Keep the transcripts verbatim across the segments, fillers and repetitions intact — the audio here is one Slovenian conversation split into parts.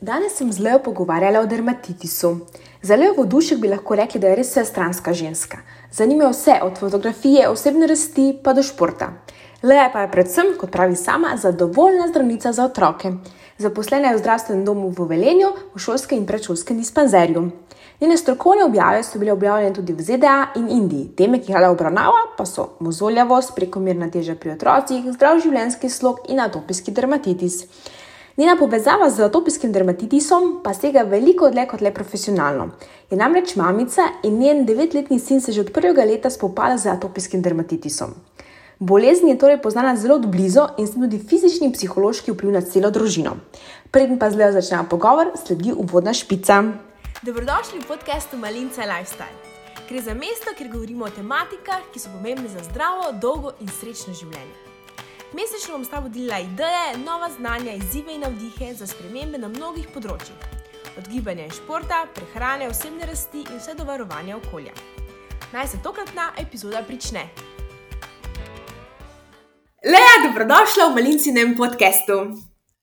Danes sem z Lejo pogovarjala o dermatitisu. Za Lejo Vodušek bi lahko rekli, da je res vsestranska ženska. Zanima jo vse, od fotografije, osebne rasti pa do športa. Leja pa je predvsem, kot pravi sama, zadovoljna zdravnica za otroke. Zaposlena je v zdravstvenem domu v Velenju, v šolskem in predšolskem dispanzerju. Njene strokovne objave so bile objavljene tudi v Z D A in Indiji. Teme, ki jih rada obravnava, pa so mozoljavost, prekomerna teža pri otrocih, zdrav življenjski slog in atopijski dermatitis. Njena povezava z atopijskim dermatitisom pa sega veliko dlje kot le profesionalno. Je namreč mamica in njen devetletni sin se že od prvega leta spopada z atopijskim dermatitisom. Bolezen je torej poznana zelo od blizu in s tem tudi fizični in psihološki vpliv na celo družino. Preden pa z Lejo začnemo pogovor, sledi uvodna špica. Dobrodošli v podcastu Malinca Lifestyle. Gre za mesto, kjer govorimo o tematikah, ki so pomembne za zdravo, dolgo in srečno življenje. Mesečno bom s tabo delila ideje, nova znanja, izzive in navdihe za spremembe na mnogih področjih. Od gibanja in športa, prehrane, osebne rasti in vse do varovanja okolja. Naj se tokratna epizoda prične. Leja, dobrodošla v Malincinem podcastu.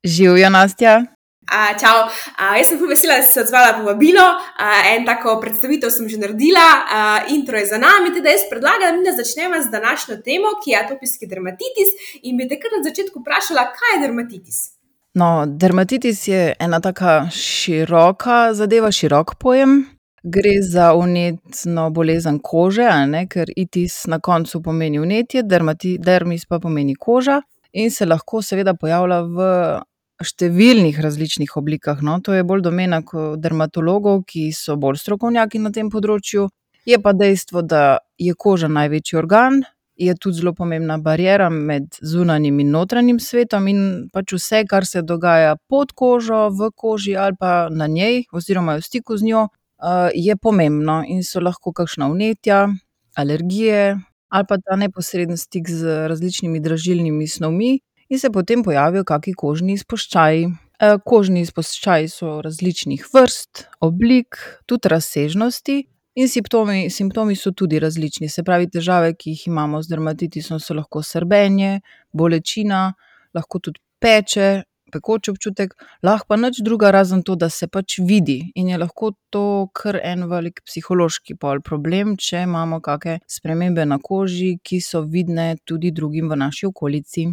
Živjo, Nastja. A, čau, a, jaz sem vesela, da si se odzvala povabilo. A, en tako predstavitev sem že naredila, a, intro je za nami, teda jaz predlagam, da začneva z današnjo temo, ki je atopijski dermatitis, in bi te kar na začetku vprašala, kaj je dermatitis? No, dermatitis je ena taka široka zadeva, širok pojem. Gre za vnetno bolezen kože, a ne, ker itis na koncu pomeni vnetje, dermati, dermis pa pomeni koža in se lahko seveda pojavlja v številnih različnih oblikah. No, to je bolj domena dermatologov, ki so bolj strokovnjaki na tem področju. Je pa dejstvo, da je koža največji organ, je tudi zelo pomembna bariera med zunanjim in notranjim svetom in pač vse, kar se dogaja pod kožo, v koži ali pa na njej oziroma v stiku z njo, je pomembno in so lahko kakšna vnetja, alergije ali pa ta neposreden stik z različnimi dražilnimi snovmi in se potem pojavijo kaki kožni izpuščaji. Kožni izpuščaji so različnih vrst, oblik, tudi razsežnosti in simptomi, simptomi so tudi različni. Se pravi, težave, ki jih imamo z dermatitisom, so lahko srbenje, bolečina, lahko tudi peče, pekoč občutek, lahko pa nič druga razen to, da se pač vidi in je lahko to kar en velik psihološki pol problem, če imamo kake spremembe na koži, ki so vidne tudi drugim v naši okolici.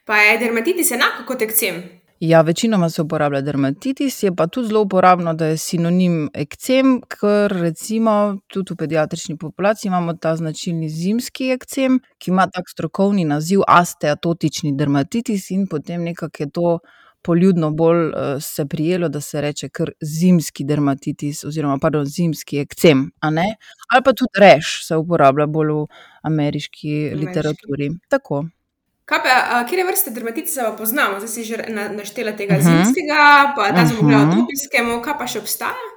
Pa je dermatitis enako kot ekcem? Ja, večinoma se uporablja dermatitis, je pa tudi zelo uporabno, da je sinonim ekcem, ker recimo tudi v pediatrični populaciji imamo ta značilni zimski ekcem, ki ima tak strokovni naziv asteatotični dermatitis in potem nekako je to poljudno bolj se prijelo, da se reče kar zimski dermatitis oziroma pardon, zimski ekcem, a ne? Ali pa tudi rash se uporablja bolj v ameriški literaturi. Tako. Kaj pa, katere vrste dermatitisa pa poznamo? Zdaj si že naštela tega zimskega, pa ta smo govorili o atopijskemu, kaj pa še obstaja?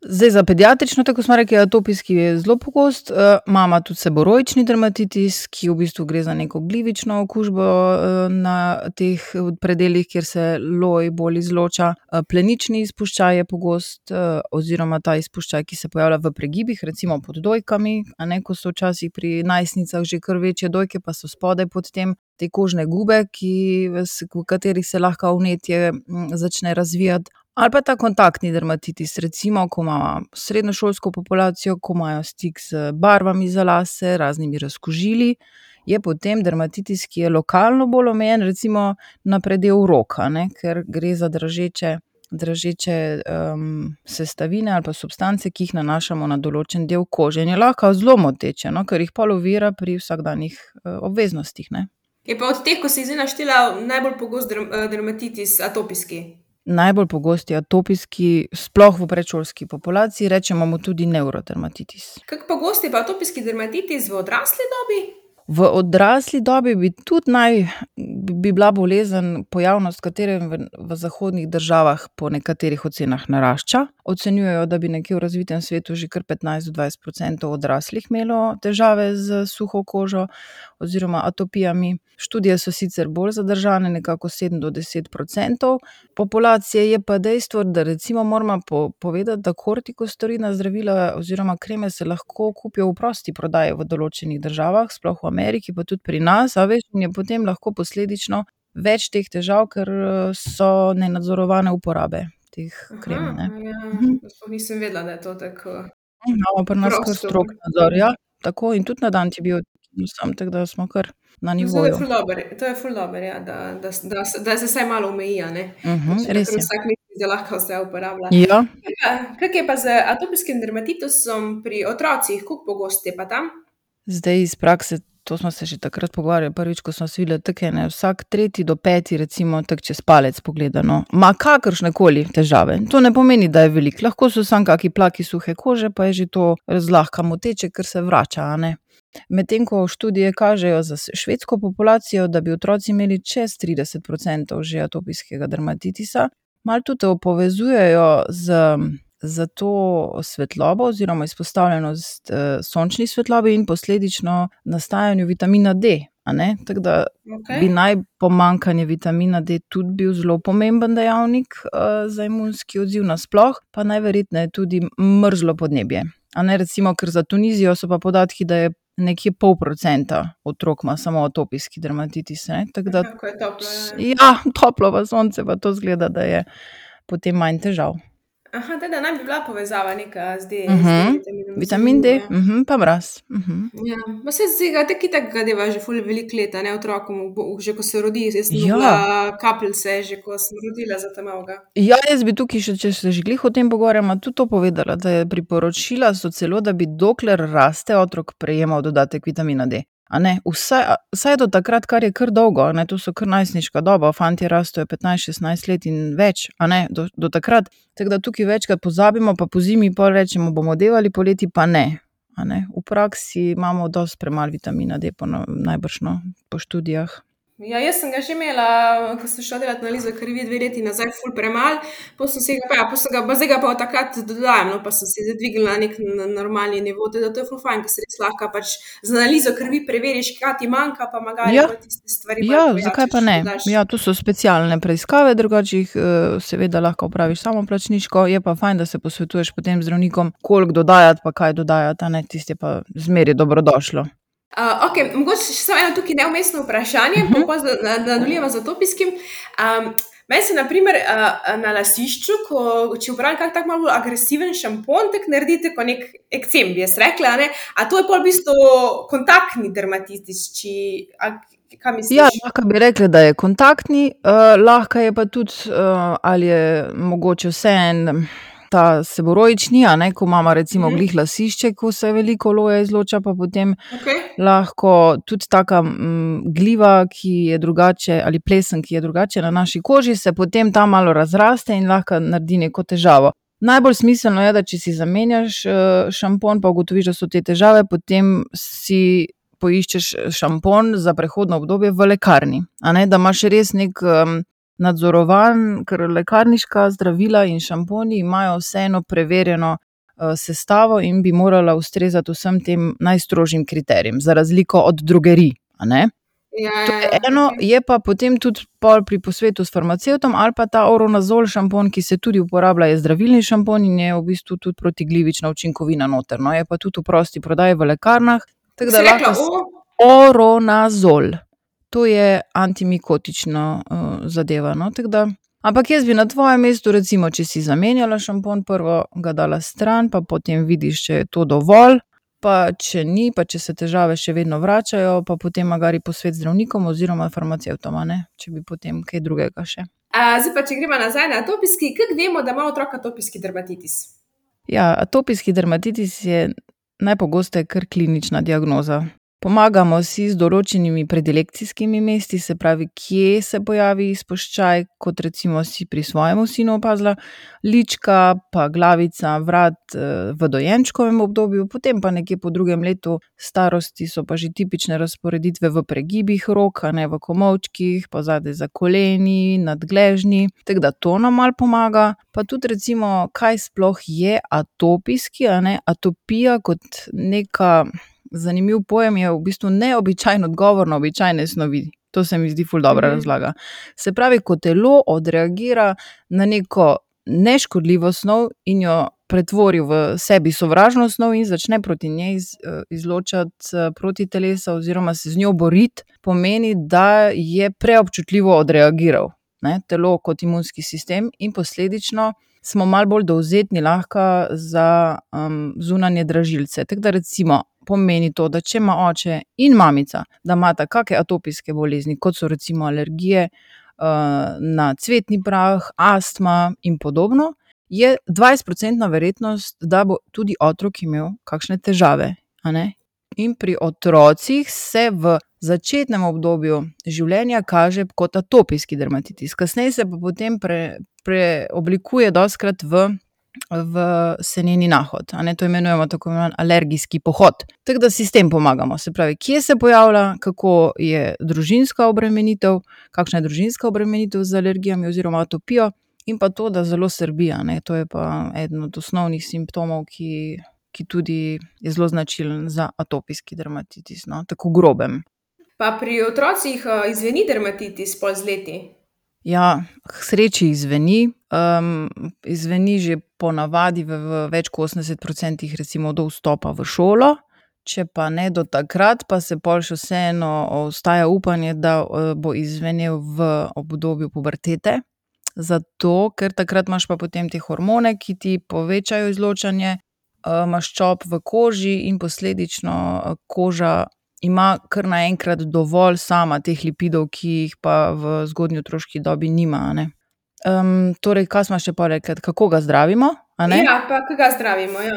Zdaj za pediatrično, tako smo rekli, atopijski je zelo pogost, imamo tudi seboroični dermatitis, ki v bistvu gre za neko glivično okužbo na teh predelih, kjer se loj bolj izloča. Plenični izpuščaj je pogost oziroma ta izpuščaj, ki se pojavlja v pregibih, recimo pod dojkami, a ne, ko so včasih pri najstnicah že kar večje dojke, pa so spodaj pod tem te kožne gube, ki, v katerih se lahko vnetje začne razvijati. Ali pa ta kontaktni dermatitis, recimo, ko ima srednješolsko populacijo, ko imajo stik z barvami za lase, raznimi razkužili, je potem dermatitis, ki je lokalno bolj omejen, recimo na predel roka, ne, ker gre za dražeče, dražeče um, sestavine ali pa substance, ki jih nanašamo na določen del kože. In je lahko zelo moteče, no, ker jih pol ovira pri vsakdanjih uh, obveznostih, ne. Je pa od teh, ko si zdaj naštela, najbolj pogost dermatitis atopijski? Najbolj pogost je atopijski, sploh v predšolski populaciji, rečemo mu tudi nevrodermatitis. Kako pogost je pa atopijski dermatitis v odrasli dobi? V odrasli dobi bi tudi naj, bi bila bolezen, pojavnost katere v, v zahodnih državah po nekaterih ocenah narašča. Ocenjujejo, da bi nekje v razvitem svetu že kar petnajst do dvajset procentov odraslih imelo težave z suho kožo oziroma atopijami. Študije so sicer bolj zadržane, nekako sedem do deset procentov. Populacije je pa dejstvo, da recimo moramo po, povedati, da kortikosteroidna zdravila oziroma kreme se lahko kupijo v prosti prodaji v določenih državah, sploh v Ameriki, pa tudi pri nas, a veš, in je potem lahko posledično več teh težav, ker so nenadzorovane uporabe teh Aha, krem, ne. ja, Mhm. sploh nisem vedela, da je to tako Imamo pri nas kar prosto. strog nadzor, ja, tako in tudi nad antibiotikom sem, tako da smo kar na No, to je nivoju. ful dobro, to je ful dobro, ja, da da s da se da se vsaj malo omeji, a ne, ker Mhm, če pa res kar je. vsak misli, da lahko vse uporablja. Ja. Kaj pa, kako je pa z atopijskim dermatitisom pri otrocih, koliko pogost je pa ta? Zdaj iz prakse, to smo se že takrat pogovarjali prvič, ko smo se videli, tako je, ne, vsak tretji do peti recimo tako čez palec pogledano, ima kakršnekoli težave. To ne pomeni, da je veliko, lahko so samo kaki plaki suhe kože, pa je že to zlahka moteče, ker se vrača, a ne. Medtem ko študije kažejo za švedsko populacijo, da bi otroci imeli čez trideset procentov že atopijskega dermatitisa, malo tudi to povezujejo z s to svetlobo oziroma izpostavljenost, sončni svetlobi in posledično nastajanju vitamina D, a ne, tako da bi Okej. naj pomanjkanje vitamina D tudi bil zelo pomemben dejavnik, za imunski odziv nasploh, pa najverjetneje tudi mrzlo podnebje, a ne, recimo, ker za Tunizijo so pa podatki, da je nekje pol procenta otrok ima samo atopijski dermatitis, ne, tako da Aha, ko je toplo, ja, ja. ja, toplo pa sonce pa to izgleda, da je potem manj težav. Aha, tako da naj bi bila povezava neka z D z Mhm, D-vitaminom, vitamin D, zanimivo, ja. mhm, pa mraz, mhm. Ja, ma saj tega tako itak ga deva že ful veliko let, a ne, otrokom že ko se rodi, jaz sem Ja. dobila kapljice že, ko sem rodila za ta malega. Ja, jaz bi tukaj še, če se že glih o tem pogovarjamo, tudi to povedala, da je priporočila so celo, da bi dokler raste otrok prejemal dodatek vitamina D, a ne, vsaj vsaj do takrat, kar je kar dolgo, a ne, to so kar najstniška doba, fantje rastejo petnajst, šestnajst let in več, a ne, do do takrat, tako da tukaj večkrat pozabimo pa pozimi pol rečemo: "Bomo devali, poleti pa ne." A ne, v praksi imamo dosti premalo vitamina D po najbrž, no, po študijah. Ja, jaz sem ga že imela, ko sem šla delat analizo krvi dve leti nazaj, ful premalo, pol sem si ga pa, ja, pol sem ga pa zdaj ga pa od takrat dodajam, no, pa sem si zdaj dvignila na neki normalni nivo, tako da to je ful fajn, ke se res lahko pač z analizo krvi preveriš, kaj ti manjka, pa magari Ja, pol tiste stvari malo ja, zakaj pa pojačaš, ne? dodaš. Ja, to so specialne preiskave, drugače jih, seveda lahko opraviš samoplačniško, je pa fajn, da se posvetuješ potem z zdravnikom, koliko dodajati pa kaj dodajati, a ne, tisto je pa zmeraj dobrodošlo. okej, mogoče še samo eno tukaj nevmesno vprašanje, Mhm. pol pa nadaljujeva z atopijskim. meni se na primer, na lasišču, ko če uporabim kak tak malo bolj agresiven šampon, tako naredi tako neki ekcem, bi jaz rekla, a ne. A to je pol v bistvu kontaktni dermatitis, či a kaj misliš? Ja, lahko bi rekli, da je kontaktni, lahko je pa tudi, ali je mogoče vseeno ta seboroični, a ne, ko imava recimo glih lasišče, ko se veliko oloja izloča, pa potem Okej. lahko tudi taka, gliva, ki je drugače, ali plesen, ki je drugače na naši koži, se potem ta malo razraste in lahko naredi neko težavo. Najbolj smiselno je, da če si zamenjaš, šampon pa ugotoviš, da so te težave, potem si poiščeš šampon za prehodno obdobje v lekarni, a ne, da imaš res neki, nadzorovan, ker lekarniška zdravila in šamponi imajo vseeno preverjeno, sestavo in bi morala ustrezati vsem tem najstrožjim kriterijem, za razliko od drogerij, a ne. Ja, To ja, je ja, eno, okej. je pa potem tudi pol pri posvetu s farmacevtom ali pa ta Oronazol šampon, ki se tudi uporablja, je zdravilni šampon in je v bistvu tudi protiglivična učinkovina noter, no, je pa tudi v prosti prodaji v lekarnah, tako Kako da si rekla, lahko o? Oronazol. To je antimikotična, zadeva, no, tako da, ampak jaz bi na tvojem mestu recimo, če si zamenjala šampon, prvo ga dala stran pa potem vidiš, če je to dovolj, pa če ni, pa če se težave še vedno vračajo, pa potem magari posvet z zdravnikom oziroma farmacevtom, a ne, če bi potem kaj drugega še. zdaj pa, če greva nazaj na atopijski, kako vemo, da ima otrok atopijski dermatitis? Ja, atopijski dermatitis je najpogosteje kar klinična diagnoza. Pomagamo si z določenimi predilekcijskimi mesti, se pravi, kje se pojavi izpuščaj, kot recimo si pri svojemu sinu opazila, lička pa glavica, vrat, v dojenčkovem obdobju, potem pa nekje po drugem letu starosti so pa že tipične razporeditve v pregibih rok, a ne, v komolčkih, pa zadaj za koleni, nad gležnji, tako da to nam malo pomaga. Pa tudi recimo, kaj sploh je atopijski, a ne, atopija kot neka, zanimiv pojem je v bistvu neobičajen odgovor na običajne snovi. To se mi zdi ful dobra razlaga. Se pravi, ko telo odreagira na neko neškodljivo snov in jo pretvori v sebi sovražno snov in začne proti njej izločati, protitelesa oziroma se z njo boriti, pomeni, da je preobčutljivo odreagiral ne, telo kot imunski sistem in posledično smo malo bolj dovzetni lahko za um, zunanje dražilce. Tako da recimo pomeni to, da če ima oče in mamica, da imata kakšne atopijske bolezni, kot so recimo alergije uh, na cvetni prah, astma in podobno, je dvajset procentna verjetnost, da bo tudi otrok imel kakšne težave, a ne? In pri otrocih se v začetnem obdobju življenja kaže kot atopijski dermatitis. Kasneje se pa potem pre, preoblikuje dostikrat v, v seneni nahod. A ne, to imenujemo tako imenovan alergijski pohod. Tako da si s tem pomagamo. Se pravi, kje se pojavlja, kako je družinska obremenitev, kakšna je družinska obremenitev z alergijami oziroma atopijo in pa to, da zelo srbi, a ne. To je pa eden od osnovnih simptomov, ki ki tudi je zelo značilen za atopijski dermatitis, no, tako grobem. Pa pri otrocih uh, izveni dermatitis pol z leti? Ja, k sreči izveni. Um, izveni že ponavadi v, v več kot osemdeset procentih recimo do vstopa v šolo. Če pa ne do takrat, pa se pol še vseeno ostaja upanje, da uh, bo izvenel v obdobju pubertete. Zato, ker takrat imaš pa potem te hormone, ki ti povečajo izločanje maščob v koži in posledično koža ima kar naenkrat dovolj sama teh lipidov, ki jih pa v zgodnji otroški dobi nima, a ne. Um, torej, kaj smo še pa rekli, kako ga zdravimo, a ne? Ja, pa kako ga zdravimo, ja.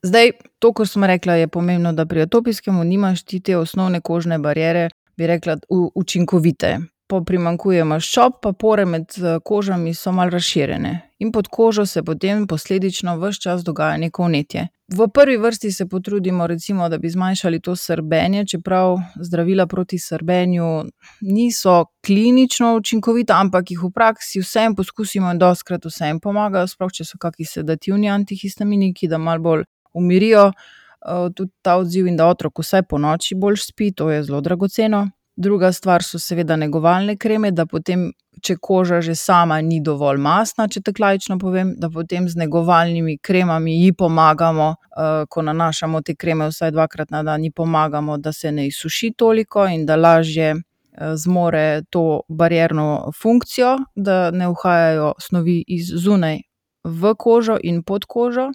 Zdaj, to, kar smo rekla, je pomembno, da pri atopijskemu nimaš ti te osnovne kožne bariere, bi rekla, u, učinkovite. Po primanjkuje maščob, pa pore med kožami so malo razširjene. In pod kožo se potem posledično ves čas dogaja neko vnetje. V prvi vrsti se potrudimo recimo, da bi zmanjšali to srbenje, čeprav zdravila proti srbenju niso klinično učinkovita, ampak jih v praksi vsem poskusimo in dostikrat vsem pomagajo, sploh če so kakšni sedativni antihistaminiki, da malo bolj umirijo uh, tudi ta odziv in da otrok vsaj po noči bolj spi, to je zelo dragoceno. Druga stvar so seveda negovalne kreme, da potem, če koža že sama ni dovolj mastna, če tako laično povem, da potem z negovalnimi kremami ji pomagamo, uh, ko nanašamo te kreme vsaj dvakrat na dan, ji pomagamo, da se ne izsuši toliko in da lažje uh, zmore to barierno funkcijo, da ne uhajajo snovi iz zunaj v kožo in pod kožo.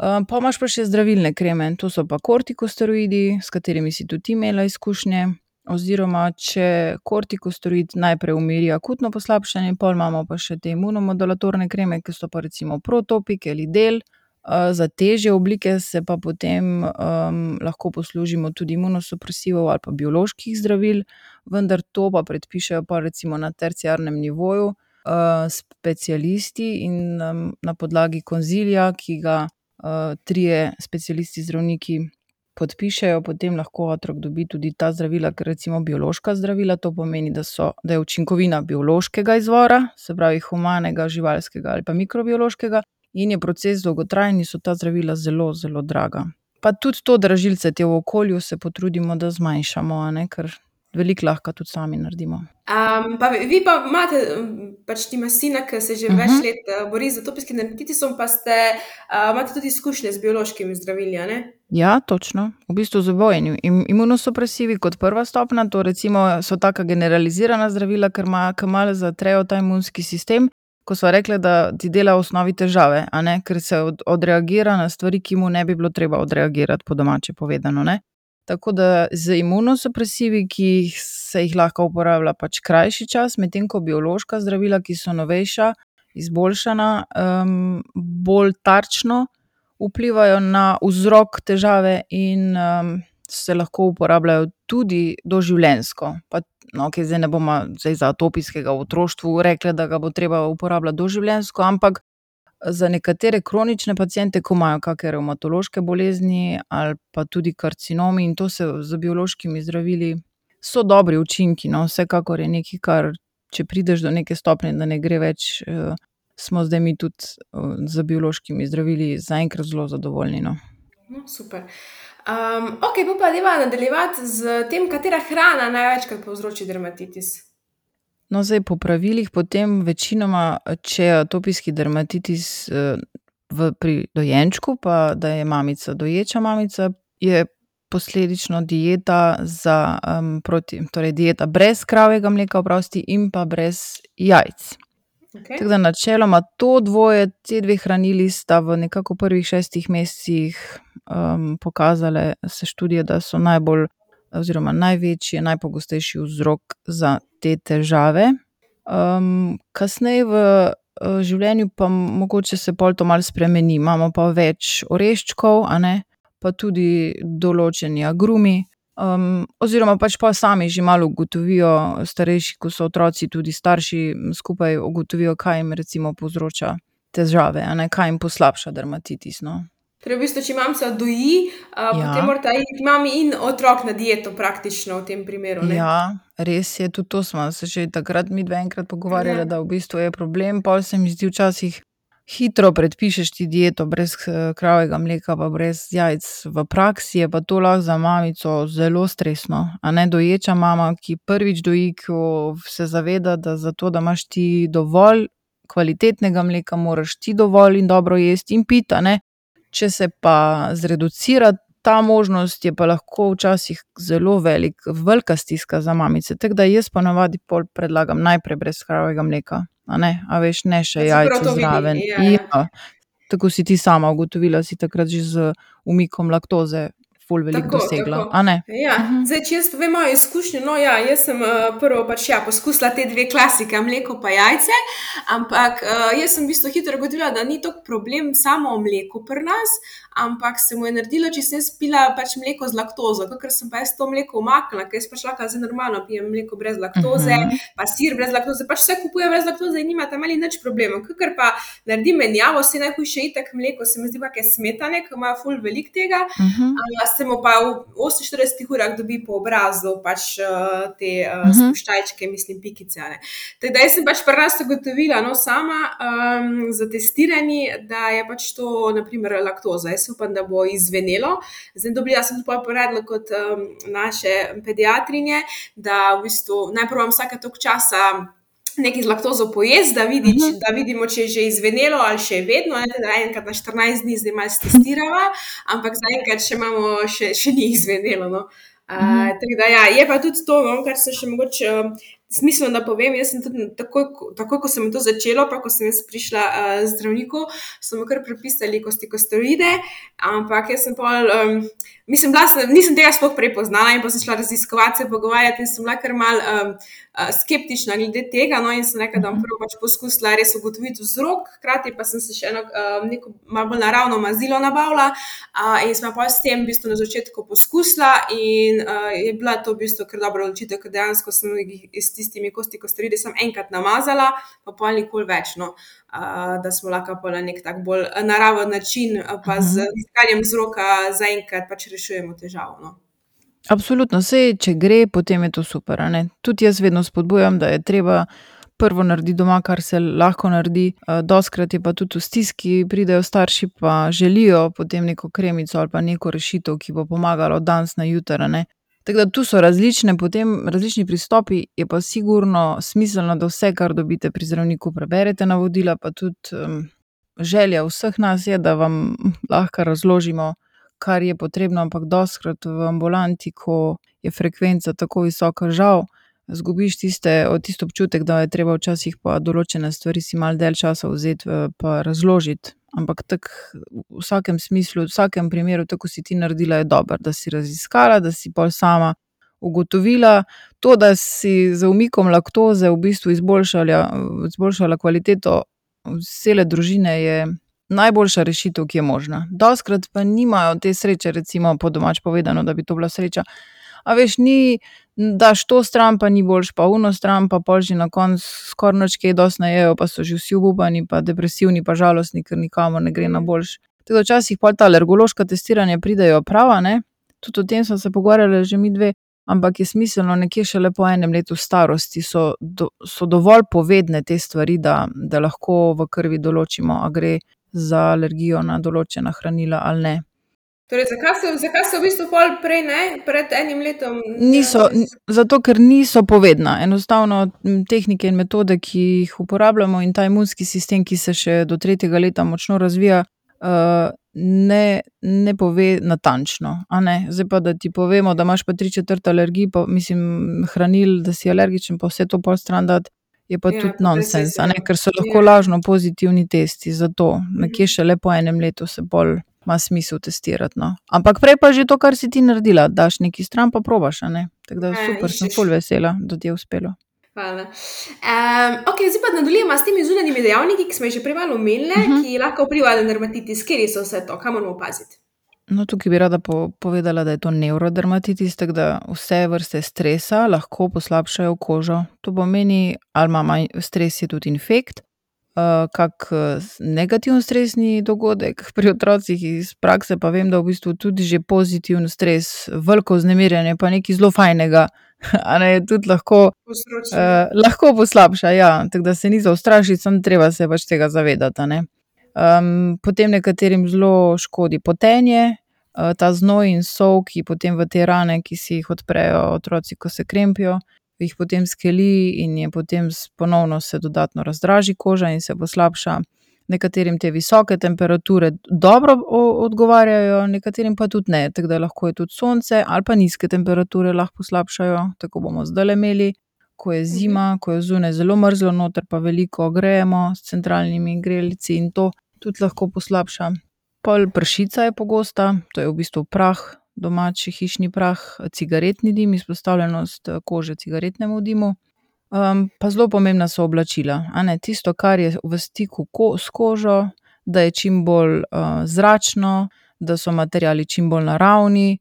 Uh, pa imaš pa še zdravilne kreme, to so pa kortikosteroidi, s katerimi si tudi imela izkušnje. Oziroma, če kortikosteroid najprej umiri akutno poslabšanje, pol imamo pa še te imunomodulatorne kreme, ki so pa recimo Protopik ali Del. Za težje oblike se pa potem um, lahko poslužimo tudi imunosupresivov ali pa bioloških zdravil, vendar to pa predpišejo pa recimo na terciarnem nivoju uh, specialisti in um, na podlagi konzilija, ki ga uh, trije specialisti zdravniki podpišejo, potem lahko otrok dobi tudi ta zdravila, ker recimo biološka zdravila, to pomeni, da, so, da je učinkovina biološkega izvora, se pravi humanega, živalskega ali pa mikrobiološkega in je proces dolgotrajen in so ta zdravila zelo, zelo draga. Pa tudi to dražilce te v okolju se potrudimo, da zmanjšamo, a ne, ker veliko lahko tudi sami naredimo. Um, pa vi pa imate, pač ti ima sina, ki se že uh-huh. več let uh, bori z atopijskim dermatitisom, pa ste, uh, imate tudi izkušnje z biološkimi zdravili, a ne? Ja, točno. V bistvu z obojeni. Imunosupresivi kot prva stopna, to recimo so taka generalizirana zdravila, ker malo zatrejo ta imunski sistem, ko so rekli, da ti dela v osnovi težave, a ne, ker se od, odreagira na stvari, ki mu ne bi bilo treba odreagirati, po domače povedano, ne. Tako da z imunosupresivi, ki se jih lahko uporablja pač krajši čas, medtem ko biološka zdravila, ki so novejša, izboljšana, um, bolj tarčno vplivajo na vzrok težave in um, se lahko uporabljajo tudi doživljenjsko. Pa, no, okay, zdaj ne bomo zdaj za atopijskega v otroštvu rekli, da ga bo treba uporabljati doživljenjsko, ampak za nekatere kronične paciente, ko imajo kakšne revmatološke bolezni ali pa tudi karcinomi in to se z biološkimi zdravili so dobri učinki, no, vsekakor je nekaj, kar če prideš do neke stopnje, da ne gre več, uh, smo zdaj mi tudi uh, z biološkimi zdravili zaenkrat zelo zadovoljni, no. No, super. Um, ok, pa deva nadaljevati z tem, katera hrana največkrat povzroči dermatitis. No, zdaj po pravilih potem večinoma, če je atopijski dermatitis uh, v, pri dojenčku, pa da je mamica doječa mamica, je posledično dieta za, um, proti, torej dieta brez kravjega mleka, oprosti, in pa brez jajc. Okay. Tako da načeloma to dvoje, te dve hranili sta v nekako prvih šestih mesecih um, pokazale se študije, da so najbolj oziroma največji, najpogostejši vzrok za te težave. Um, kasneje v uh, življenju pa mogoče se pol to malo spremeni. Imamo pa več oreščkov, a ne, pa tudi določeni agrumi. Um, oziroma pač pa sami že malo ugotovijo, starejši, ko so otroci, tudi starši skupaj ugotovijo, kaj jim recimo povzroča težave, a ne, kaj jim poslabša dermatitis, no. Torej, v bistvu, če mamica doji, a, Ja. potem morata iti mami in otrok na dieto praktično v tem primeru, ne? Ja, res je, tudi to smo se že takrat midve enkrat pogovarjale, Ja. da v bistvu je problem, pol se mi zdi včasih hitro predpišeš ti dieto brez eh, kravjega mleka pa brez jajc. V praksi je pa to lahko za mamico zelo stresno, a ne, doječa mama, ki prvič doji, ko se zaveda, da za to, da imaš ti dovolj kvalitetnega mleka, moraš ti dovolj in dobro jesti in piti, a ne. Če se pa zreducira ta možnost, je pa lahko včasih zelo velik, velika stiska za mamice. Tako da jaz ponavadi pol predlagam najprej brez kravjega mleka, a ne, a veš, ne še Da se prav jajc to vidi, zraven. ja, ja. Ja, tako si ti sama ugotovila, si takrat že z umikom laktoze ful veliko Tako, dosegla, tako. a ne? Ja, Mhm. zdaj, če jaz povem mojo izkušnjo, no ja, jaz sem uh, prvo pač ja, poskusila te dve klasike, mleko pa jajce, ampak uh, jaz sem v bistvu hitro ugotovila, da ni toliko problem samo mleko pri nas, ampak se mu je naredilo, če sem jaz pila pač mleko z laktozo, kakor sem pa jaz to mleko umaknila, ker jaz pač lahko zdaj normalno pijem mleko brez laktoze, Mhm. pa sir brez laktoze, pač vse kupujem brez laktoze in nima tam ali nič problema. Kakor pa naredim menjavo, vse najhujše itak mleko, se mi zdi pa kaj smetane, ki ima ful veliko tega, Mhm. a, se mu pa v oseminštiridesetih urah dobi po obrazu pač uh, te uh, Mhm. spuščajčke, mislim, pikice, a ne. Tako da jaz sem pač pri nas ugotovila, no, sama um, za testiranje, da je pač to, na primer, laktoza. Jaz upam, da bo izzvenelo. Zdaj dobila sem tudi predlog od um, naše pediatrinje, da v bistvu najprej vam vsake toliko časa nekaj z laktozo pojesti, da, vidi, če, Mhm. da vidimo, če je že izvenelo ali še je vedno, ne, da enkrat na štirinajst dni zdaj malo testirava, ampak zaenkrat še imamo, še, še ni izvenelo, no. Uh, Mhm. tako da ja, je pa tudi to, no, kar se še mogoče um, smiselno, da povem, jaz sem tudi takoj, ko- takoj, ko sem to začelo, pa ko sem jaz prišla uh, zdravniku, so mi kar prepisali kortikosteroide, ampak jaz sem pol, um, mislim, bila sem, nisem tega sploh prej poznala in pa sem šla raziskovati, se pogovarjati in sem bila kar mal um, uh, skeptična glede tega, no, in sem rekla, da bom prvo pač poskusila res ugotoviti vzrok, hkrati pa sem se še eno um, neko malo bolj naravno mazilo nabavila, uh, in sem pa s tem v bistvu na začetku poskusila in uh, je bila to v bistvu kar dobra odločitev, ker dejansko sem jih s tistimi kortikosteroidi sem enkrat namazala, pa pol nikoli več, no. Uh, da smo lahko pa na nek tak bolj naraven način, uh, pa z Mhm. iskanjem vzroka zaenkrat pač rešujemo težavo, no. Absolutno, saj če gre, potem je to super, a ne. Tudi jaz vedno spodbujam, da je treba prvo narediti doma, kar se lahko naredi. Eh, Dostikrat je pa tudi v stiski, pridejo starši pa želijo potem neko kremico ali pa neko rešitev, ki bo pomagala od danes na jutri, a ne. Tako da tu so različne, potem različni pristopi, je pa sigurno smiselno, da vse, kar dobite pri zdravniku, preberete navodila, pa tudi um, želja vseh nas je, da vam lahko razložimo, kar je potrebno, ampak dostikrat v ambulanti, ko je frekvenca tako visoka, žal, zgubiš tiste, tisti občutek, da je treba včasih pa določene stvari si malo dalj časa vzeti eh, pa razložiti. Ampak tako v vsakem smislu, v vsakem primeru, tako si ti naredila, je dobro, da si raziskala, da si pol sama ugotovila. To, da si z umikom laktoze v bistvu izboljšala, izboljšala kvaliteto cele družine, je najboljša rešitev, ki je možna. Dostikrat pa nimajo te sreče, recimo po domač povedano, da bi to bila sreča. A veš, ni, daš to stran, pa ni boljš, pa uno stran, pa pol že na koncu skoraj nič kaj dosti ne jejo, pa so že vsi obupani, pa depresivni, pa žalostni, ker nikamor ne gre na boljš. Tako da včasih pol ta alergološka testiranja pridejo prav, a ne. Tudi o tem smo se pogovarjali že mi dve, ampak je smiselno nekje šele po enem letu starosti, so, do, so dovolj povedne te stvari, da, da lahko v krvi določimo, a gre za alergijo na določena hranila ali ne. Torej, zakaj se, zakaj se v bistvu pol prej ne, pred enim letom? Niso, n- zato, ker niso povedna. Enostavno m, tehnike in metode, ki jih uporabljamo, in ta imunski sistem, ki se še do tretjega leta močno razvija, uh, ne, ne pove natančno, a ne. Zdaj pa, da ti povemo, da imaš pa tri četrt alergij, pa mislim, hranil, da si alergičen, pa vse to pol stran dati, je pa Ja, tudi pa nonsens, a ne, presesno. ker so lahko Ja. lažno pozitivni testi, zato nekje Mhm. šele po enem letu se bolj ima smisel testirati, no. Ampak prej pa že to, kar si ti naredila, daš nekaj stran pa probaš, a ne. Tako da Ja, super, sem iščeš. ful vesela, da ti je uspelo. Hvala. Um, ok, zdaj pa nadaljujemo s temi zunanjimi dejavniki, ki smo jih že prej malo omenile, Mhm. ki lahko vplivajo na dermatitis. Kateri so vse to? Kaj moramo paziti? No, tukaj bi rada po, povedala, da je to nevrodermatitis, tako da vse vrste stresa lahko poslabšajo kožo. To pomeni, ali ima manj stres, je tudi infekt, uh, kak uh, negativen stresni dogodek. Pri otrocih iz prakse pa vem, da v bistvu tudi že pozitiven stres, veliko vznemirjanje, pa nekaj zelo fajnega, a ne, tudi lahko, Posročanje. uh, lahko poslabša, ja. Tako da se ni za ustrašiti, samo treba se pač tega zavedati, a ne. Um, potem nekaterim zelo škodi potenje, uh, ta znoj in sol, ki potem v te rane, ki si jih odprejo otroci, ko se krempijo, jih potem skeli in je potem s- ponovno se dodatno razdraži koža in se poslabša. Nekaterim te visoke temperature dobro o- odgovarjajo, nekaterim pa tudi ne, tako da lahko je tudi sonce ali pa nizke temperature lahko poslabšajo, tako bomo zdajle imeli. Ko je zima, ko je zunaj zelo mrzlo, noter pa veliko grejemo s centralnimi grelci in to tudi lahko poslabša. Pol pršica je pogosta, to je v bistvu prah, domači hišni prah, cigaretni dim, izpostavljenost eh, kože cigaretnemu dimu. Um, pa zelo pomembna so oblačila, a ne, tisto, kar je v stiku ko, s kožo, da je čim bolj uh, zračno, da so materiali čim bolj naravni.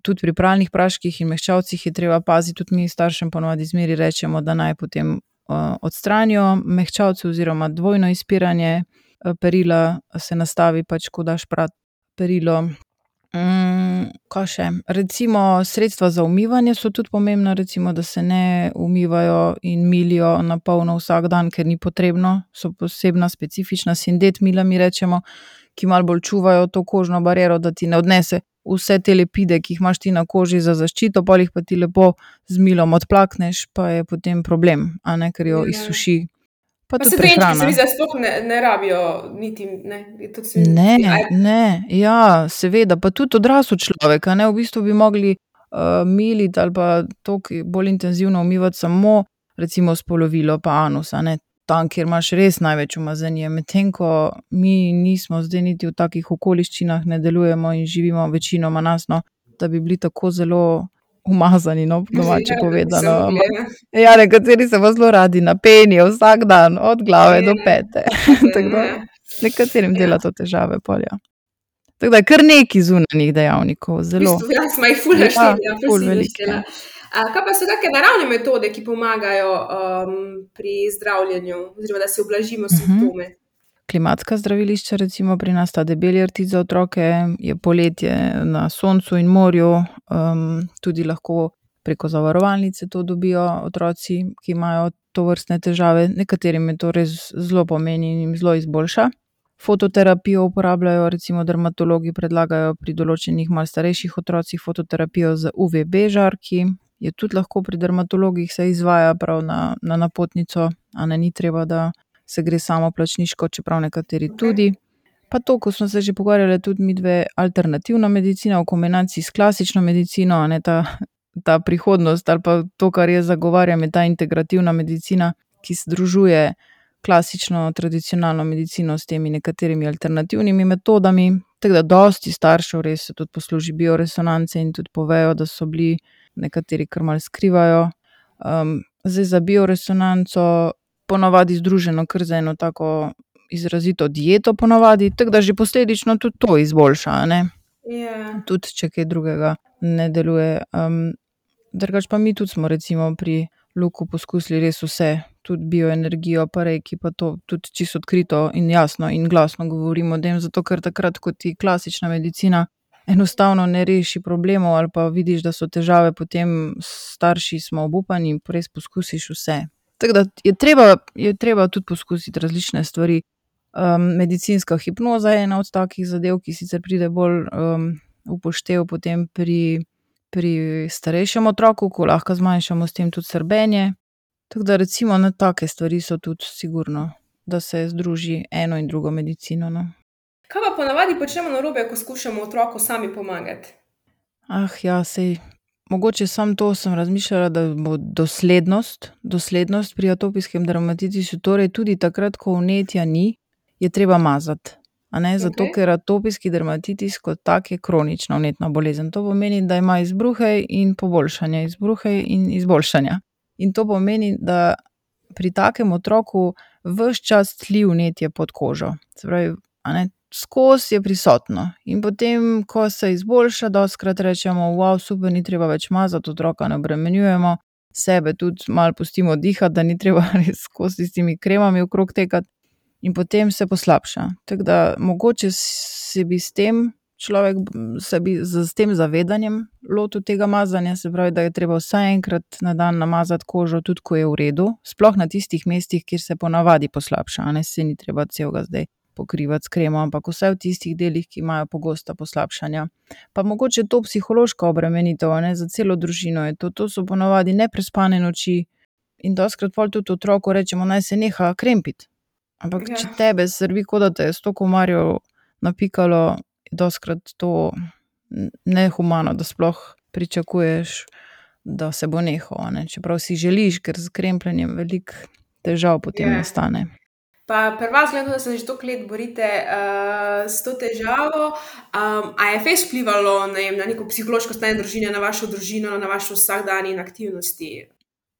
Tudi pri pralnih praških in mehčavcih je treba paziti, tudi mi staršem ponovadi zmeri rečemo, da naj potem uh, odstranijo mehčavce oziroma dvojno izpiranje uh, perila, se nastavi pač, ko daš prat perilo. Mm, kaj še? Recimo sredstva za umivanje so tudi pomembna, recimo, da se ne umivajo in milijo na polno vsak dan, ker ni potrebno, so posebna specifična sindet mila, mi rečemo, ki malo bolj čuvajo to kožno bariero, da ti ne odnese vse te lepide, ki jih imaš ti na koži za zaščito, pol jih pa ti lepo z milom odplakneš, pa je potem problem, a ne, ker jo Ja. izsuši. Pa Pa tudi se dojenčki se prehrana. mi zdi, da sploh ne, ne rabijo niti, ne, je tudi se mi Ne, zdi, aj, ne, ja, seveda, pa tudi odrasel človek, a ne, v bistvu bi mogli uh, militi ali pa toliko bolj intenzivno umivati samo recimo spolovilo pa anus, a ne, tam, kjer imaš res največ umazanije, medtem ko mi nismo zdaj niti v takih okoliščinah, ne delujemo in živimo večinoma nas, no, da bi bili tako zelo umazani, no, po domače ja, da bi se povedano, mogli, ampak ja. ja, nekateri se pa zelo radi napenijo vsak dan, od glave do Ja, pete, tako tako da da, ja. nekaterim Ja. dela to težave pol, ja. Tako da je kar nekaj zunanjih dejavnikov, V zelo. bistvu, ja, smo jih ful Ja, našteli, ja, ful ful si jih veliko, naštela. ja. A, kaj pa so kakšne naravne metode, ki pomagajo um, pri zdravljenju, oziroma da si ublažimo Mhm. simptome? Klimatska zdravilišča, recimo pri nas ta debeli rtič za otroke, je poletje na soncu in morju, um, tudi lahko preko zavarovalnice to dobijo otroci, ki imajo tovrstne težave. Nekaterim je to res zelo pomeni in jim zelo izboljša. Fototerapijo uporabljajo, recimo dermatologi predlagajo pri določenih malo starejših otrocih fototerapijo z U V B žarki. Je tudi lahko pri dermatologih se izvaja prav na, na napotnico, a ne ni treba, da se gre samo plačniško, čeprav nekateri Ok. tudi. Pa to, ko smo se že pogovarjali, tudi mi dve alternativna medicina v kombinaciji s klasično medicino, a ne ta, ta prihodnost ali pa to, kar jaz zagovarjam, je ta integrativna medicina, ki združuje klasično, tradicionalno medicino s temi nekaterimi alternativnimi metodami. Tako da dosti staršev res se tudi posluži bioresonance in tudi povejo, da so bili nekateri kar malo skrivajo. Um, zdaj za bioresonanco ponavadi združeno kar za eno tako izrazito dieto ponavadi, tako da že posledično tudi to izboljša, a ne. Ja. Tudi če kaj drugega ne deluje. Um, drugače pa mi tudi smo recimo pri Luku poskusili res vse, tudi bioenergijo, pa reiki, pa to tudi čisto odkrito in jasno in glasno govorimo o tem, zato ker takrat, ko ti klasična medicina enostavno ne reši problemov ali pa vidiš, da so težave, potem starši smo obupani in res poskusiš vse. Tako da je treba, je treba tudi poskusiti različne stvari. Um, medicinska hipnoza je ena od takih zadev, ki sicer pride bolj um, upoštev potem pri, pri starejšem otroku, ko lahko zmanjšamo s tem tudi srbenje. Tako da recimo na take stvari so tudi sigurno, da se združi eno in drugo medicino, no. Kaj pa ponavadi počnemo narobe, ko skušamo otroku sami pomagati? Ah, ja, sej. Mogoče samo to sem razmišljala, da bo doslednost, doslednost pri atopijskem dermatitisu, torej tudi takrat, ko vnetja ni, je treba mazati. A ne, zato Okej. ker atopijski dermatitis kot tak je kronična vnetna bolezen. To pomeni, da ima izbruhe in poboljšanja, izbruhe in izboljšanja. In to pomeni, da pri takem otroku ves čas tli vnetje pod kožo. Se pravi, a ne, skozi je prisotno. In potem, ko se izboljša, dostikrat rečemo, wow, super, ni treba več mazati, otroka ne obremenjujemo, sebe tudi malo pustimo dihati, da ni treba res skozi s temi kremami okrog tekati. In potem se poslabša. Tako da mogoče se bi s tem človek, se bi s tem zavedanjem lotil tega mazanja, se pravi, da je treba vsaj enkrat na dan namazati kožo, tudi ko je v redu, sploh na tistih mestih, kjer se ponavadi poslabša, a ne, saj ni treba celega zdaj pokrivati s kremo, ampak vsaj v tistih delih, ki imajo pogosta poslabšanja. Pa mogoče to psihološka obremenitev, a ne, za celo družino je to, to so ponavadi neprespane noči in dostikrat pol tudi otroku rečemo, naj se neha krempiti. Ampak Ja. če tebe srbi, kot da te je sto komarjev napikalo, je dostikrat to nehumano, da sploh pričakuješ, da se bo nehal, a ne, čeprav si želiš, ker s krempljenjem veliko težav potem Ja. nastane. Pa pri vas glede, da se že toliko let borite uh, s to težavo, um, a je fejst vplivalo, ne vem, na neko psihološko stanje družine, na vašo družino, na vaš vsakdan in aktivnosti?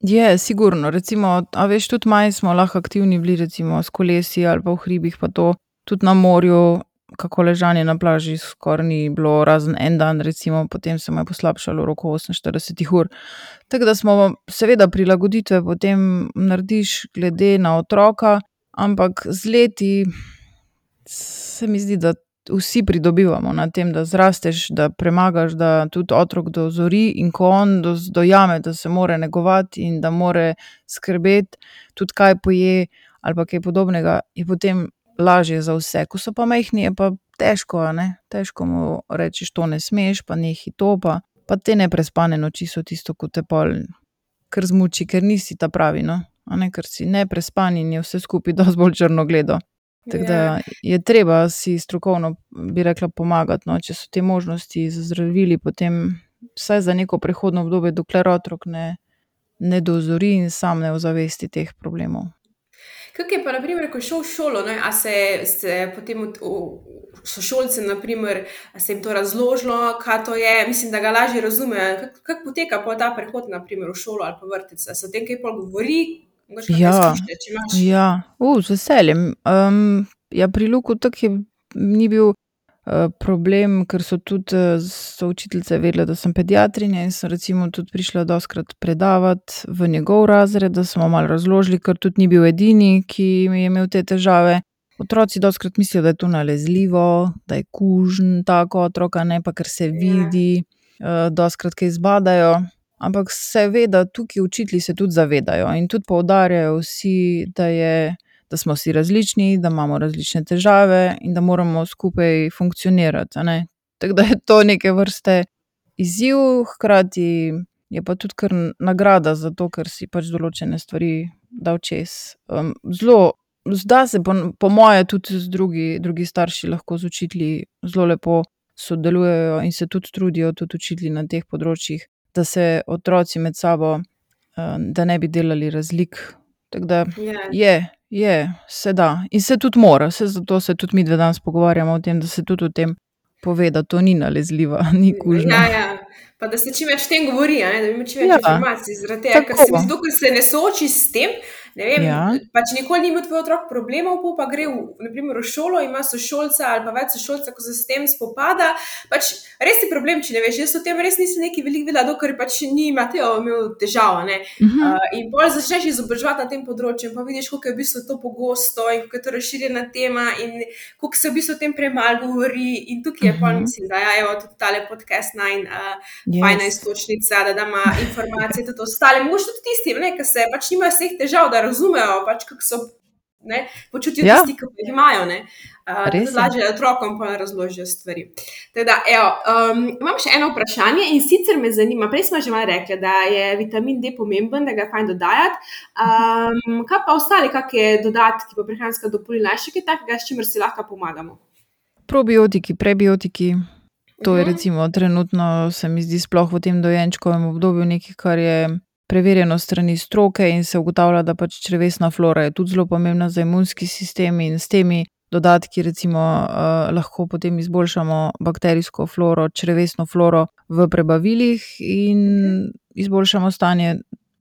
Je, sigurno, recimo, a veš, tudi manj smo lahko aktivni bili, recimo s kolesi ali pa v hribih pa to, tudi na morju, kako ležanje na plaži skoraj ni bilo, razen en dan, recimo, potem se mu je poslabšalo v roku oseminštiridesetih ur. Tako da smo seveda prilagoditve potem narediš glede na otroka, ampak z leti se mi zdi, da vsi pridobivamo na tem, da zrasteš, da premagaš, da tudi otrok dozori in ko on dojame, da se more negovati in da more skrbeti, tudi kaj poje ali pa kaj podobnega, je potem lažje za vse. Ko so pa majhni, je pa težko, a ne, težko mu rečeš, to ne smeš, pa nehaj to, pa, pa te neprespane noči so tisto, ko te pol kar zmuči, ker nisi ta pravi, no, a ne, ker si neprespan in je vse skupaj dosti bolj črnogledo. Tako da je treba si strokovno, bi rekla, pomagati, no, če so te možnosti z zdravili, potem vsaj za neko prehodno obdobje, dokler otrok ne, ne dozori in sam ne ozavesti teh problemov. Kako je pa, na primer, ko je šel v šolo, ne, a se, se potem v, v sošolcem, na primer, a se jim to razložilo, kaj to je, mislim, da ga lažje razumejo. Kako kak poteka pa ta prehod, na primer, v šolo ali pa vrtec? A se o tem kaj pol govori? Mogoče kakšne Ja, izkušnje, če imaš? ja, uh, z veseljem. Um, ja, pri Luku tako je, ni bil uh, problem, ker so tudi uh, so učiteljice vedele, da sem pediatrinja in sem recimo tudi prišla dostikrat predavati v njegov razred, da smo malo razložili, ker tudi ni bil edini, ki je imel te težave. Otroci dostikrat mislijo, da je to nalezljivo, da je kužen tako otrok, a ne, pa ker se vidi, uh, dostikrat kaj zbadajo. Ampak seveda tukaj učitelji se tudi zavedajo in tudi poudarjajo vsi, da je, da smo si različni, da imamo različne težave in da moramo skupaj funkcionirati, a ne. Tako da je to neke vrste izziv, hkrati je pa tudi kar nagrada za to, ker si pač določene stvari dal čez. Um, zelo, zda se po, po moje tudi z drugi, drugi starši lahko z učitelji zelo lepo sodelujejo in se tudi trudijo, tudi učitelji na teh področjih, da se otroci med sabo, da ne bi delali razlik. Tako da Ja. je, je, se da. In se tudi mora, se zato se tudi midve danes pogovarjamo o tem, da se tudi o tem pove, da to ni nalezljiva, ni kužno. Ja, ja. Pa da se čim več o tem govori, a ne, da ima čim več Ja, informacij, zaradi tega, ker se mi tako. zdi, ker se ne sooči s tem, ne vem, Ja. pač nikoli ni imel tvoj otrok problemov, pol pa gre v, na primer, v šolo, ima sošolca ali pa več sošolca, ko se s tem spopada, pač res je problem, če ne veš, jaz o tem res nisem nekaj veliko vedela, dokler pač ni Mateo imel težav, a ne. Mhm. Uh, in pol začneš izobraževati na tem področju in pa vidiš, koliko je v bistvu to pogosto in kako je to razširjena tema in koliko se v bistvu o tem premalo govori in tukaj je pol, Mhm. mislim, da ja, evo, tudi tale podcast naj uh, Yes. fajna istočnica, da dama informacije tudi ostale, mogoče tudi tistim, ne, ki se pač nimajo vseh težav, da razumejo pač, kako so, ne, počutijo Ja. tisti, ki jih imajo, ne. Uh, Res tudi je. lažje otrokom pa razložijo stvari. Tako da, evo, um, imam še eno vprašanje in sicer me zanima, prej smo že malo rekli, da je vitamin D pomemben, da ga je fajn dodajati. Um, kaj pa ostali, kakšne dodatki pa prehranska dopolnila, še kaj takega, s čimer si lahko pomagamo? Probiotiki, prebiotiki, to je Mhm. recimo trenutno se mi zdi sploh v tem dojenčkovem obdobju nekaj, kar je preverjeno strani stroke in se ugotavlja, da pač črevesna flora je tudi zelo pomembna za imunski sistem in s temi dodatki recimo uh, lahko potem izboljšamo bakterijsko floro, črevesno floro v prebavilih in izboljšamo stanje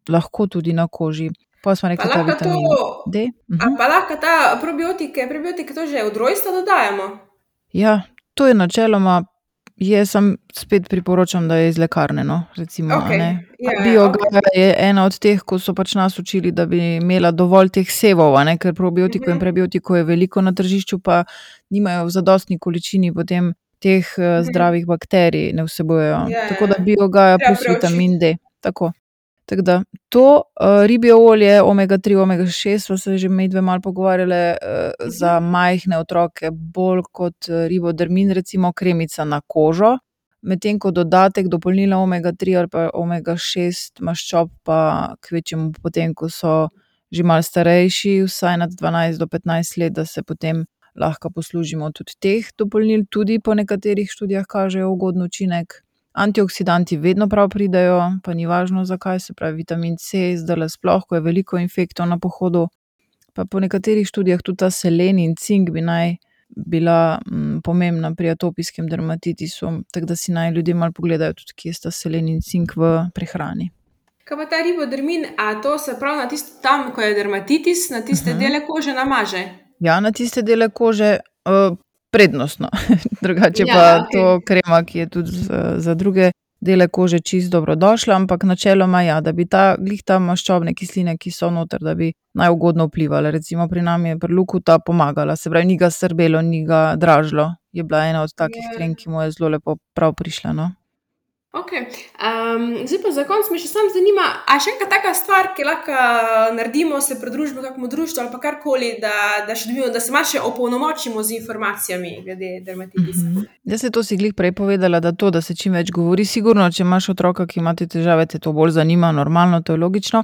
lahko tudi na koži. Pa smo Pa rekli ta lahko to, vitamin D. a Mhm. pa lahko ta probiotike, prebiotike to že od rojstva dodajamo? Ja, to je načeloma, jaz sem spet priporočam, da je iz lekarne, no, recimo, a Okej, ne. ja, ja, Biogaja okej. je ena od teh, ko so pač nas učili, da bi imela dovolj teh sevov, a ne, ker probiotikov in Mhm. prebiotikov je veliko na tržišču, pa nimajo v zadostni količini potem teh eh, Mhm. zdravih bakterij, ne vsebujejo. Ja, Tako da ja. biogaja Treba plus vitamin preučiti. D. Tako. Tako da to, uh, ribje olje, omega tri, omega šest, sva se že medve malo pogovarjale, uh, za majhne otroke bolj kot uh, ribodermin, recimo kremica na kožo, medtem ko dodatek dopolnila omega tri ali pa omega šest maščob pa kvečjemu potem, ko so že malo starejši, vsaj nad dvanajst do petnajst let, da se potem lahko poslužimo tudi teh dopolnil, tudi po nekaterih študijah kažejo ugoden učinek. Antioksidanti vedno prav pridejo, pa ni važno zakaj, se pravi vitamin C, zdajle sploh, ko je veliko infektov na pohodu. Pa po nekaterih študijah tudi ta selen in cink bi naj bila m, pomembna pri atopijskem dermatitisu, tako da si naj ljudje malo pogledajo tudi, kje sta selen in cink v prehrani. Kaj pa ta ribodermin, a to se pravi na tisto tam, ko je dermatitis, na tiste Mhm. dele kože namaže? Ja, na tiste dele kože uh, prednostno, drugače Ja, pa okej. to krema, ki je tudi za, za druge dele kože čisto dobrodošla, ampak načeloma ja, da bi ta glih ta maščobne kisline, ki so noter, da bi najugodno vplivale. Recimo pri nam je pri Luku ta pomagala, se pravi, ni ga srbelo, ni ga dražilo. Je bila ena od takih Ja. krem, ki mu je zelo lepo prav prišla, no. Okej, um, zdaj pa za konec me še samo zanima, a še ena taka stvar, ki lahko naredimo, se pridružimo kakemu društvu ali pa karkoli, da, da še dobimo, da se malo še opolnomočimo z informacijami glede dermatitisa. Mhm. Jaz se to si glih prej povedala, da to, da se čim več govori, sigurno, če imaš otroka, ki ima te težave, te to bolj zanima, normalno, to je logično.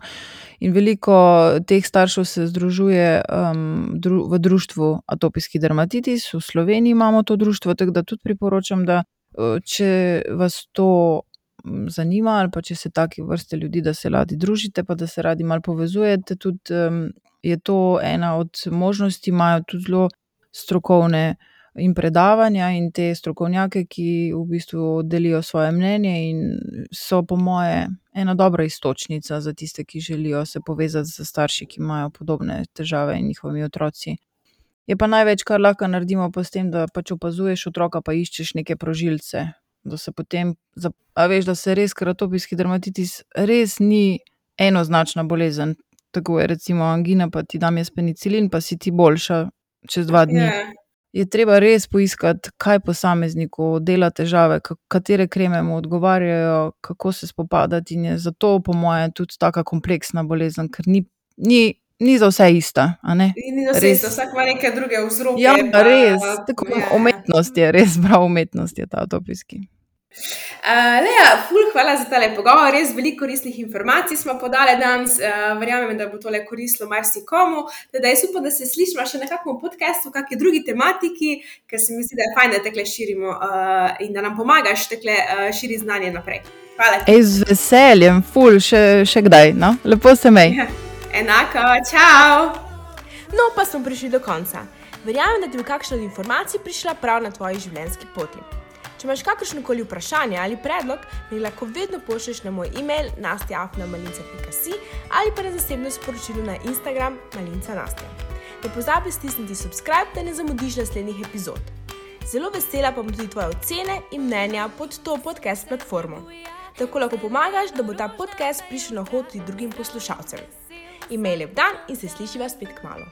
In veliko teh staršev se združuje um, dru, v društvu atopijski dermatitis, v Sloveniji imamo to društvo, tako da tudi priporočam, da uh, če vas to mm, zanima ali pa če se take vrste ljudi, da se radi družite, pa da se radi malo povezujete, tudi um, je to ena od možnosti, imajo tudi zelo strokovne in predavanja in te strokovnjake, ki v bistvu delijo svoje mnenje in so po moje ena dobra iztočnica za tiste, ki želijo se povezati z starši, ki imajo podobne težave in njihovimi otroci. Je pa največ, kar lahko naredimo, pa s tem, da pač opazuješ otroka, pa iščeš neke prožilce, da se potem, za- a veš, da se res, ker atopijski dermatitis res ni enoznačna bolezen. Tako je recimo angina, pa ti dam jaz penicilin, pa si ti boljša čez dva dni. Ja. Je treba res poiskati, kaj posamezniku dela težave, ka- katere kreme mu odgovarjajo, kako se spopadati, in je zato po moje tudi taka kompleksna bolezen, ker ni, ni, ni za vse ista, a ne? In ni za vse Res. isto, vsak ima neke druge vzroke. Ja, pa, res, tako ja, ja. umetnost je, res prav umetnost je ta atopijski. Uh, Lea, ful, hvala za tale pogovor, res veliko koristnih informacij smo podali danes, uh, verjamem, da bo tole koristilo marsikomu, da jaz upam, da se slišimo še na kakšnem podcastu, v kakšni drugi tematiki, ker se mi zdi, da je fajn, da tekle širimo uh, in da nam pomagaš tekle uh, širi znanje naprej. Hvala ti. Ej, z veseljem, ful, še, še kdaj, no? Lepo se mej. Ja, enako, čau! No, pa smo prišli do konca. Verjamem, da ti bo kakšna od informacij prišla prav na tvoji življenjski poti. Če imaš kakršnokoli vprašanje ali predlog, mi lahko vedno pošlješ na moj e-mail nastja afna malinca pika si ali pa na zasebno sporočilo na Instagram malinca nastja. Ne pozabi stisniti subscribe, da ne zamudiš naslednjih epizod. Zelo vesela pa bom tudi tvoje ocene in mnenja pod to podcast platformo. Tako lahko pomagaš, da bo ta podcast prišel na hod tudi drugim poslušalcem. Imej lep dan in se slišiva spet kmalu.